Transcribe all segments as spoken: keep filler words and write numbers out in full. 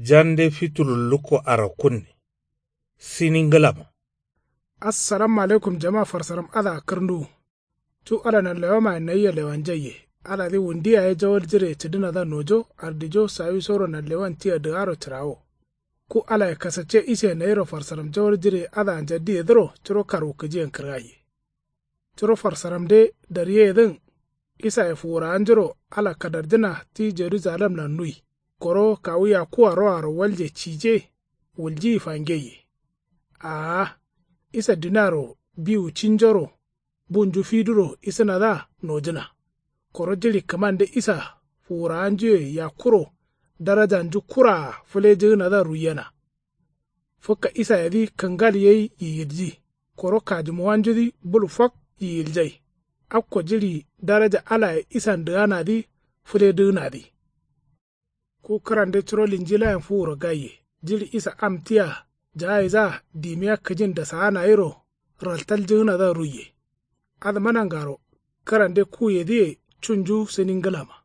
Jande fitulu lukko arakkunne. Sini ngǝlama. Assalamu alaikum jama farsaram adǝa kǝrnduwu. Cu ala nanlewamaye nayia lewanjaiye. Aladǝ wundu yaye jawal jireye cǝdǝnadǝa nojo ardijo sawisoro nanlewan tia dǝgaro cǝrawo. Ku alaye kasacce iseye nayiro farsaram jawal jireye adǝa njaddiyedǝro curo karwukǝjiyen kǝrgaiye. Curo farsaramde daryeyedǝn. Isaye fuwurawanjuro ala kadarjǝna ti jerujalemlan nui. Koro kawu yakuwa roaro walje cije. Wuljiyi fangeiye. Aa. Isa duniaro biwu cinjoro bunju fiduro isǝnadǝa nojǝna. Koro jiɍi kǝmande isa fuwurawanjuye yakkuro darajanju kuraa fǝlejǝgǝnadǝa ruiyena. Fǝkka isayedǝ kǝngal yai yiyilji. Koro kajǝmuwanjudǝ bul fak yiyiljai. Akko jiɍi daraja alaye isan dǝganadǝ fǝledǝgǝnadǝ. Ku kǝrande curo linjilayen fuwuro gaiye. Jiɍi isa am tia jagaidǝa dimiya kǝjin dasaana yero raltaljǝgǝnadǝa ruiye. Adǝma nangaro kǝrande kuyedǝye cunju sǝni ngǝlama.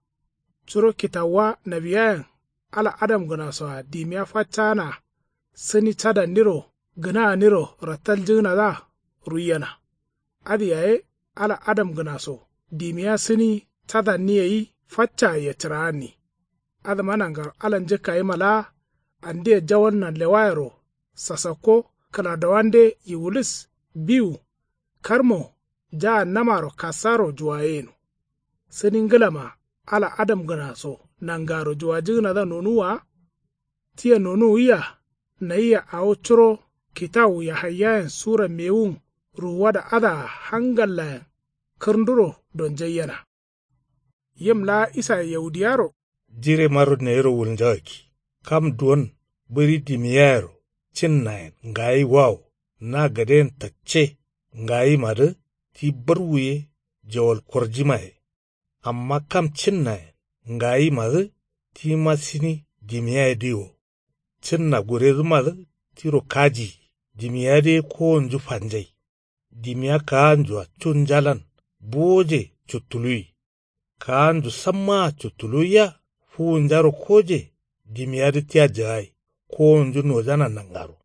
Curo kitawuwa nawiyayen ala adamgǝnasoa dimiya faccaanaa sǝni cadanniro gǝnaaniro rattalljǝgǝnadǝa ruiyena. Adǝ yaye ala adamgǝnaso dimiya sǝni cadanni gai faccaa yacǝraanni. Adǝma nangaro ala njǝkkayima laa andia jawal nanlewayero sasakko kǝladowande yiwulis biwu karmo jagannamaro kassaro juwayeyeno. Sǝni ngǝlama ala adamgǝnaso nangaro juwajǝgǝnadǝa nonuwwa wa. Tia nonuwwiya nayia awo curo kitawu yahaiyayen sura mewun ruwuwada adǝa hangallayen kǝrnduro donjaiyena. Yim laa isaye yaudiyaro jiremaro nayiro wulnjagakki kam duwon bǝri dimiyayero cinnayen ngayi wawo na gaden tacce ngayimadǝ ti barwu ye jawal korjimaye. Amma kam cinnayen ngayimadǝ tima sǝni dimiyayedǝ wo. Cǝnna guredǝmadǝ tiro kajiyi dimiyadǝ ye kowonju fanjai. Dimiya kaanjua cunjalan buwoje cuttuluwi. Kaanju sammaa cuttuluwiya fuwunjaro koje dimiyadǝ tia jagai kowonju nojana nangaro.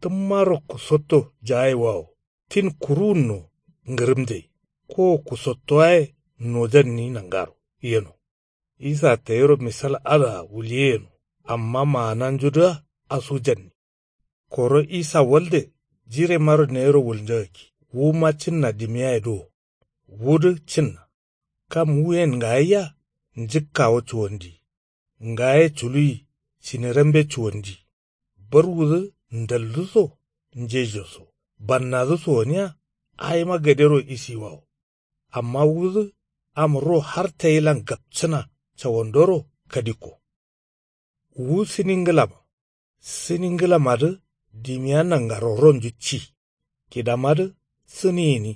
Tǝmmaro kusotto jagai wawo tin kuruwunno ngǝrǝmjai. Kowo kusottowaye nojanni nangaro yeno. Isa tayiro misal adǝa wuliyeyeno amma maananjudǝa asujanni. Koro isa walde jiremaro nayiro wulnjagakki wuma cǝnna dimiyayedǝ wo. Wudǝ cǝnna kam wuyen ngayia njǝkkawo cuwandi. Ngaye culuwi cinerambe cuwandi. Barwudǝ ndaldǝso njejoso bannadǝso gǝniya awima gadero isiwawo. Amma wudǝ am ro har tayilan gapcǝna cawandoro kadikko. Wu sǝni ngǝlama. Sǝni ngǝlamadǝ dimiya nangaro ronju ci. Kidamadǝ sǝni gǝni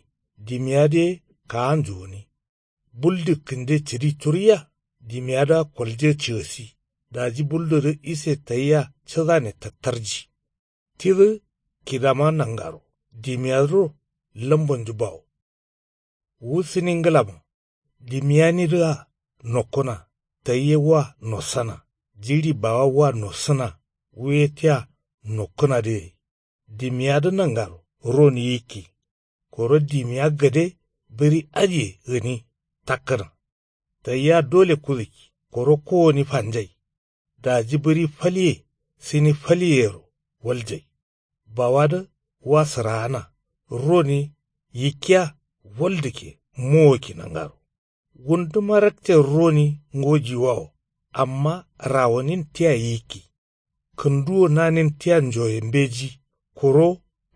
dimiyadǝ ye kaanju gǝni. Buldu kǝnde cǝdi curuiya dimiyadǝa kolje cǝgǝsi. Daji buldudǝ ise tayia cǝdane tattarji. Tidǝ kidama nangaro dimiyadǝro lambonju bawo. Wu sǝni ngǝlama. Dimiyanidǝa nokkuna taiye wa nossana. Jiɍi bawa wa nossǝna. Wuye tia nokkǝnadǝ gai dimiyadǝ nangaro ron yikki. Koro dimiya gade bǝri adǝye gǝni takkǝna. Tayia dole kudǝkki koro kowoni fanjai. Daji bǝri falye sǝni falyeyero waljai. Bawadǝ wa sǝraana roni yikkiya waldǝkke mowokki nangaro. Wunduma rakce roni ngojiwawo amma rawonin tia yikki. Kǝnduwo nanin tia njoye mbeji koro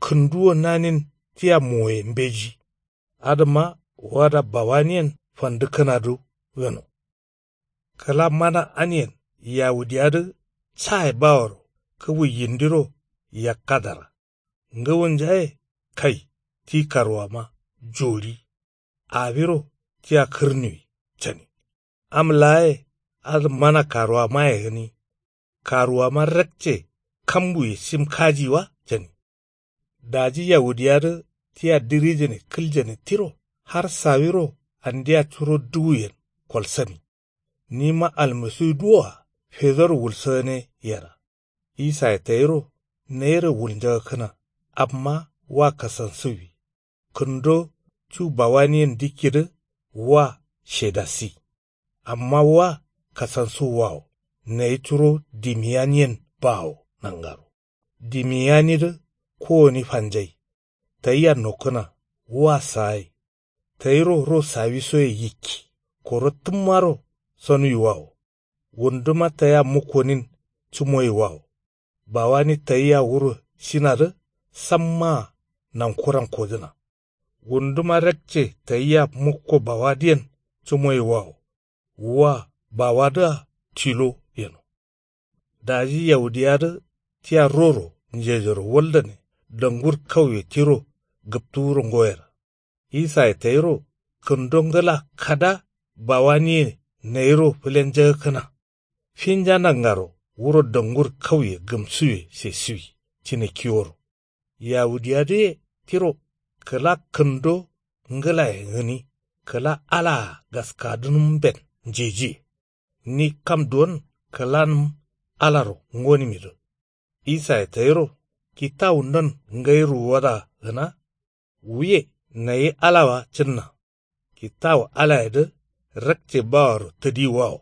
kǝnduwo nanin tia moye mbeji. Adǝma wada bawaniyen fandǝkkǝnadǝ gǝno. Kǝla mana aniyen yawudiyadǝ caye baworo kǝbu yindiro yakkadara. Ngǝwunjaye kai ti karuwama jori. Awiro tia kǝrnuwi cani. Am laaye adǝ mana karuwamaye gǝni. Karuwama rakce kambuye shim kaji wa cani. Daji yawudiyadǝ tia dirijane kǝljane tiro har sawiro andia curo duwuyen kolsani. Nima almasiwu duwoa fedoro wulsǝgǝne yera. Isaye tayiro nayiro wulnjagakkǝna. Amma wa kasansuwwi. Kǝndo cu bawaniyen dikkidǝ wa shedasi. Amma wa kasansuwwawo nayi curo dimiyaniyen bawo nangaro. Dimiyanidǝ kowoni fanjai. Tayia nokkǝna wa sagai. Tayiro ro sawisoye yikki. Koro tǝmmaro sonuwiwawo. Wunduma tayia mukkonin cumoyiwawo. Bawani tayia wuro shinadǝ sammaa nankuran kodǝna. Wunduma rakce tayia mukko bawadǝyen cumoyiwawo. Wa bawadǝa tilo yeno. Daji yaudiyadǝ tia roro njejoro waldane dangur kauye tiro gǝptuwuro ngoyera. Isaye tayiro kǝndo ngǝla kada bawaniye nayiro fǝlenjagakkǝna. Finja nangaro wuro dangur kauye gǝmsuwe sesiwi cine kiworo. Yahudiyadǝye tiro kǝla kǝndo ngǝlaye gǝni kǝla alaa gaskadǝnǝmben njejiye. Ni kam duwon kǝlanǝm alaro ngonimidǝ. Isaye tayiro kitawundon ngai ruwada gǝna. Wuye nayi alawa cǝnna. Kitawu alayedǝ rakce bawaro tǝdiwawo.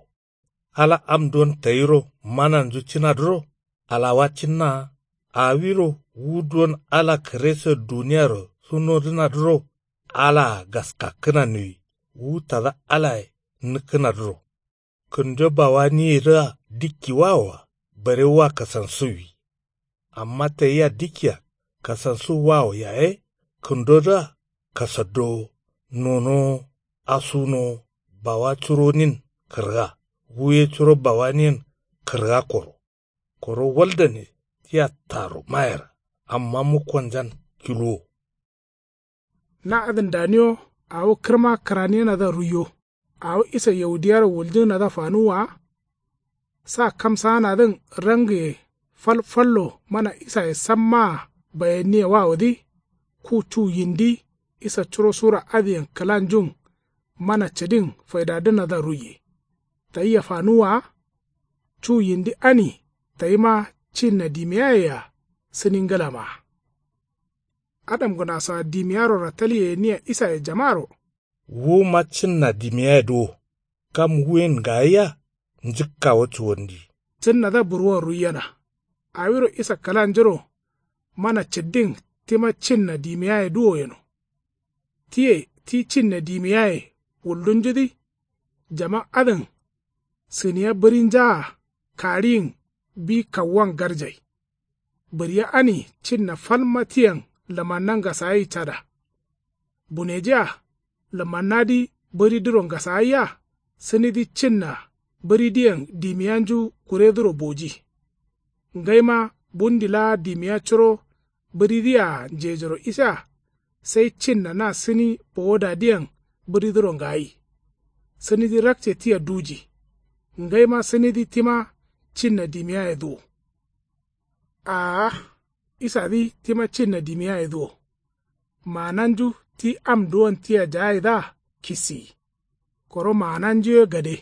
Ala am duwon tayiro mananju cǝnadǝro alawa cǝnnaa. Awiro wu duwon ala kǝreso duniyaro sunodǝnadǝro alaa gaskakkǝna nuwi wu tada alaye nǝkkǝnadǝro. Kǝndo bawaniyedǝa dikkiwawoa bare wa kasansuwwi. Amma tayia dikkia kasansuwwawo yaye kǝndodǝa kasaddowo nonowo asunowo bawa curonin kǝrga. Wuye curo bawaniyen kǝrga koro. Koro waldane tia taro mayera amma mukkonjan kiluwo. Na adǝn daniwo awo kǝrma kǝraniyenadǝa ruiyo. Awo isa yaudiyaro wuljǝgǝnadǝa fanuwwa wa. Sa kamsaanadǝn rangiye fal fallo mana isaye sammaa bayanniye wawodǝ. Ku cu yindi isa curo sura adǝyen kǝlanjun mana cǝdin faidadǝnadǝa ruiye. Tayia fanuwwa wa. Cu yindi ani tayima cinna dimiyayea sǝni ngǝlamaa. Adamgǝnasoa dimiyaro ratalyeyenniya isaye jamaro. Wuma cǝnna dimiyayedǝ wo. Kam wuyen gayia njǝkkawo cuwandi. Cǝnnadǝa burwon ruiyena. Awiro isa kǝlanjuro mana cǝddin tima cinna dimiyayedǝ wo yeno. Tiye ti cinna dimiyaye wuldunjudǝ. Jama adǝn sǝniya bǝrinjaa kariyin bi kawuwan garjai. Bǝriya ani cinna falma tiyen lǝmanna ngasagai cada. Bunejiya lǝmannadǝ bǝridǝro ngasagaiya sǝnidǝ cinna bǝridǝyen dimiyanju kuredǝro boji. Ngaima bundi laa dimiya curo bǝridǝyea njejoro isa. Sai cinna na sǝni bowodadǝyen bǝridǝro ngagai. Sǝnidǝ rakce tia duji. Ngaima sǝnidǝ tima cinna dimiyayedǝ wo. Aa isadǝ tima cinna dimiyayedǝ wo. Maananju ti am duwon tia jagaidǝa kisiyi. Koro maananjuye gade.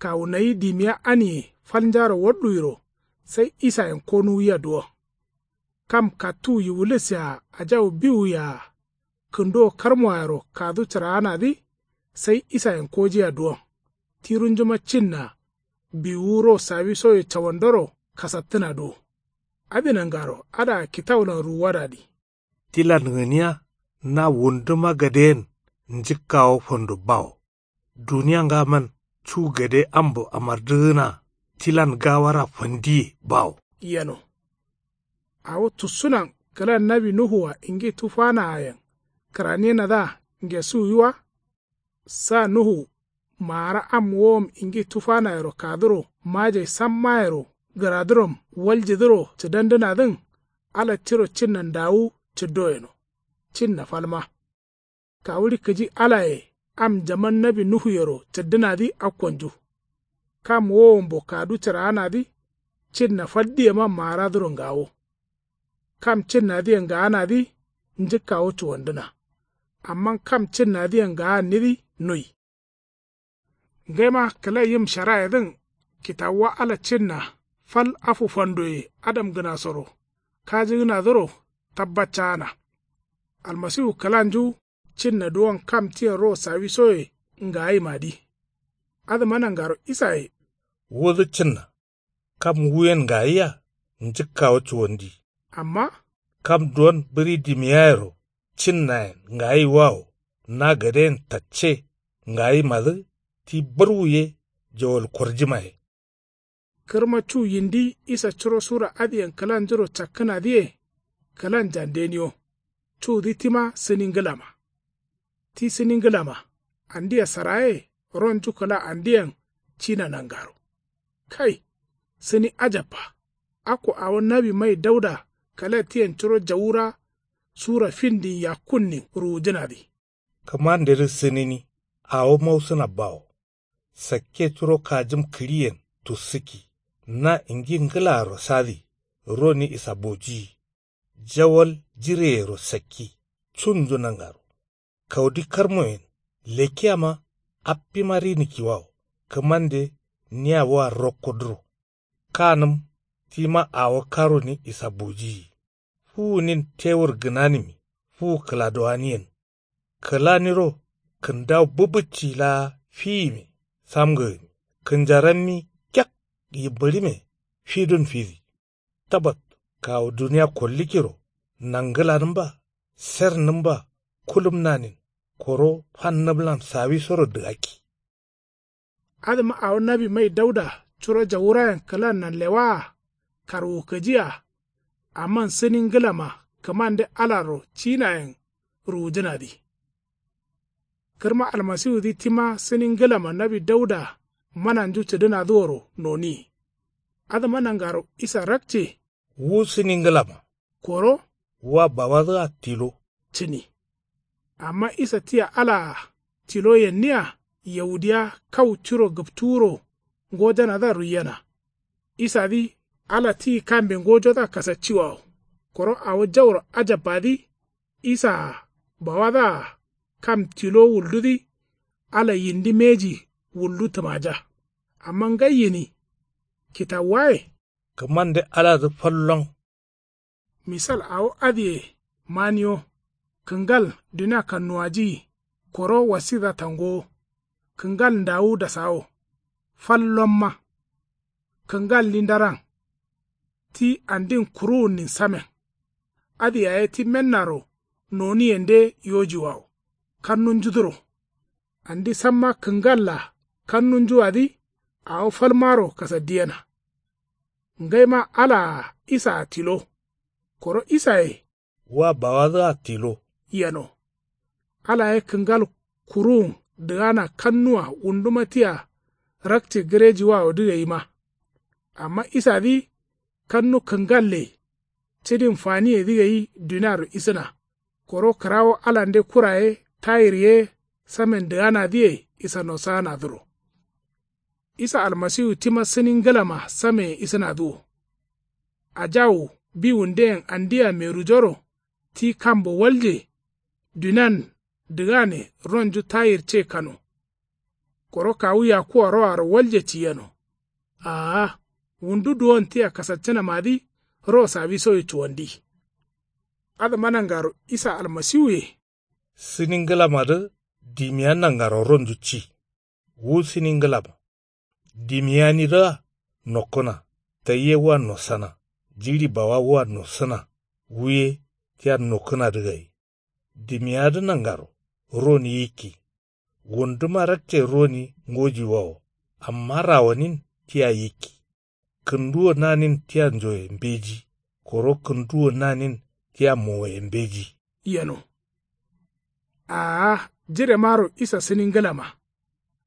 Kawu nayi dimiya aniye falnjaro walluwiro sai isayen konuwia duwon. Kam kattuwu yiwulisea ajawu biwuyea kǝnduwo karmoayero kadu cǝraanadǝ. Sai isayen kojia duwon. Tirunjuma cinna biwuwu ro sawisoye cawandoro kasattǝnadǝ wo. Adǝ nangaro adǝa kitawulan ruwuwadadǝ. Tilan gǝniya na wunduma gadeyen njǝkkawo fando bawo. Duniya ngaman cu gade ambo amardǝgǝnaa tilan gawara fandiye bawo. Yeno. Awo tussunan kǝla nawi nuhua ingi tufanaayen kǝraniyenadǝa ngesuwi wa. Sa nuhu maara am wowom ingi tufanayero kaduro majai sammayero gǝradurom waljidǝro cǝdandǝnadǝn. Ala tiro cinna ndawu cǝddo yeno. Cinna falma. Kawuɍi kǝji alaye am jaman nawi nuhuyero cǝddǝnadǝ akkonju. Kam wowombo kadu cǝraanadǝ cinna faldiyema maaradǝro ngawo. Kam cinnadǝyen ngaanadǝ njǝkkawo cuwandǝna. Amma kam cinnadǝyen ngaannidǝ nui. Ngaima kǝla yim sharayedǝn kitawuwa ala cinna Fal afu fandoye adamgǝnasoro kajigǝnadǝro tabbaccaana. Almasiwu kǝlanju cinna duwon kam tiyen ro sawisoye ngayimadǝ. Adǝma nangaro isaye. Wudǝ cinna kam wuyen ngayiya njǝkkawo cuwandi. Amma kam duwon bǝri dimiyayero cinnayen ngayiwawo na gadeyen tacce ngayimadǝ ti bǝrwu ye jawal korjimaye. Kǝrma cu yindi isa curo sura adǝyen kǝlanjuro cakkǝnadǝye kǝlan jandeniyo. Cudǝ tima sǝni ngǝlama. Ti sǝni ngǝlama andia saraye ronju kǝla andiyen cina nangaro. Kai sǝni ajabba. Akko awo nawi mai dauda kǝla tiyen curo jawura sura findin yakkunnin ruwujǝnadǝ. Kǝmandedǝ sǝnini awo mausǝna bawo. Sakke curo kajǝm kǝɍiyen tussǝkki na ingi ngǝlaaro sadǝ roni isabojiyi. Jawal jireyero sakki cunju nangaro. Kaudi karmoyen lekkiyama appima rinikkiwawo kǝmande nia wa rokkodǝro. Kanǝm tima awo karoni isabojiyi. Fuwunin tewur gǝnanimi fuwu kǝladowaniyen. Kǝlaniro kǝndawu bǝbǝcci laa fiyime samgǝgǝmi kǝnjarammi kek yimbǝɍime fidun fidi. Tabat kawu duniya kollikkiro nanggǝlanǝmba sernǝmba kulumnanin koro fannǝmlan sawisoro dǝgakki. Adǝma awo nawi mai dauda curo jawurayen kǝlannan lewaa karwukǝjiya. Amman sǝni ngǝlama kǝmande alaro cinayen ruwujǝnadǝ. Kǝrma almasiwudǝ tima sǝni ngǝlama nawi dauda mananju cǝdǝnadǝworo noniye. Adǝma nangaro isa rakce. Wu sǝni ngǝlama koro wa bawadǝa tilo cǝni. Amma isa tia alaa tilo yenniya yaudiya kau curo gǝptuwuro ngojanadǝa ruiyena. Isadǝ ala ti kambe ngojodǝa kasacciwawo. Koro awo jauro ajabbadǝ isaa bawadǝa kam tilo wuldudǝ ala yindi mbeji wuldu tǝmaja. Amma ngai yini kitawuwaye. Kǝmande aladǝ fallon. Misal awo adǝye maniyo. Kǝngal dunia kannuwajiyi koro wasidǝa tangowo. Kǝngal ndawu dasawo. Fal lomma. Kǝngalli ndaran. Ti andin kuruwunnin samen. Adǝ yaye ti mennaro noniyende yojiwawo kannunjudǝro. Andi samma kǝngalla kannunjuwadǝ awo falmaro kasaddiyena. Ngaima alaa isaa tilo. Koro isaye wa bawadǝa tilo yeno. Ala ye kǝngal kuruwun dǝgana kannuwa wunduma tia rakce gǝrejiwawodǝ gaima. Amma isadǝ kannu kǝngalle cǝdin faniyedǝ gai duniaro isǝna. Koro kǝrawo alande kura ye tayir ye samen dǝganadǝye isa nosaanadǝro. Isa almasiwu tima sǝni ngǝlama sameye isǝnadǝ wo. Ajawu biwundeyen andia merujoro ti kambo walje. Dunian dǝgane ronju tayir ce kano. Koro kawu yakkuwa roaro walje ciyeno. Aa wundu duwon tia kasaccǝnamadǝ ro sawisoye cuwandi. Adǝma nangaro isa almasiwuye. Sǝni ngǝlamadǝ dimiya nangaro ronju ci. Wu sǝni ngǝlama dimiyanidǝa nokkǝna. Taiye wa nossana jiɍi bawa wa nossǝna. Wuye tia nokkǝnadǝ gai. Dimiyadǝ nangaro roni yikki. Wunduma rakce roni ngojiwawo. Amma rawanin tia yikki. Kǝnduwo nanin tia njoye mbeji. Koro kǝnduwo nanin tia mowoye mbeji. Yeno. Aa jiremaro isa sǝni ngǝlama.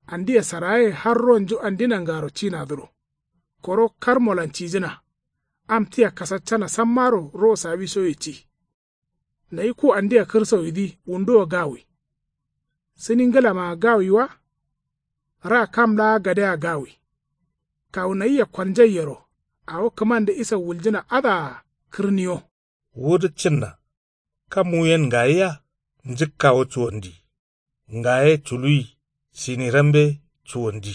Andia saraye har ronju andi nangaro cinadǝro. Koro karmolan cijǝna. Am tia kasaccana sammaro ro sawisoye ci. Nayi ku andia kǝrsawidǝ wunduwo gawi. Sǝni ngǝlamaa gawi wa. Ra kam laa gadea gawi. Kawu nayia kolnjaiyero awo kǝmande isa wuljǝna adǝa kǝrniyo. Wudǝ cǝnna kam wuyen ngayiya njǝkkawo cuwandi. Ngaye culuwi sinirambe cuwandi.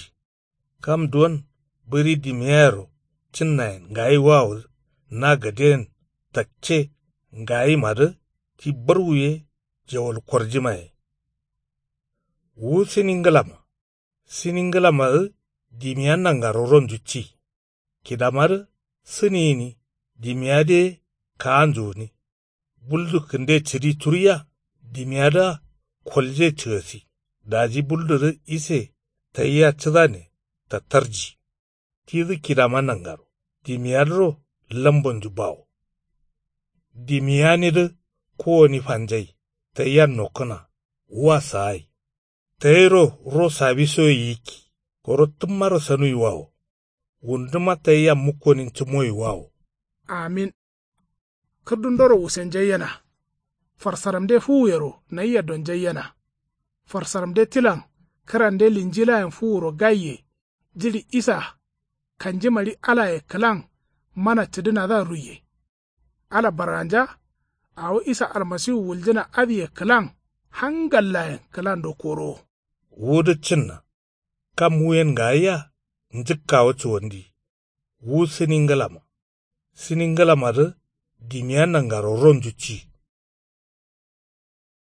Kam duwon bǝri dimiyayero cǝnnayen ngayiwawo na gaden takce ngayimadǝ ti barwuye jawal korjimaye. Wu sǝni ngǝlama sǝni ngǝlamadǝ dimiya nangaro ronju ci. Kidamadǝ sǝni gǝni dimiya dǝ ye kaanju gǝni. Buldu kǝnde cǝdi turiya dimiyadǝa kolje cǝgasi. Daji buldudǝ ise tayia cǝdane tattarji. Tidǝ kidama nangaro dimiyadǝro lambonju bawo. Dimiyanidǝ kowoni fanjai tayia nokkǝna wa sagai. Tayiro ro sabisoye yikki koro tǝmmaro sanuiwawo. Wunduma tayia mukkonin cǝmoiwawo. Amin. Kǝrdundoro wusenjaiyena. Farsaramde fuwuyero nayia donjaiyena. Farsaramde tilan kǝrande linjilayen fuwuro gaiye. Jiɍi isa kanjimari alaye kǝlan mana cǝdǝnadǝa ruiye. Ala barganja awo isa almasiwu wuljǝna adǝye kǝlan hangallayen kǝlando korowo. Wudǝ cǝnna kam wuyen ngayia njǝkkawo cuwandi. Wu sǝni ngǝlama sǝni ngǝlamadǝ dimiya nangaro ronju ci.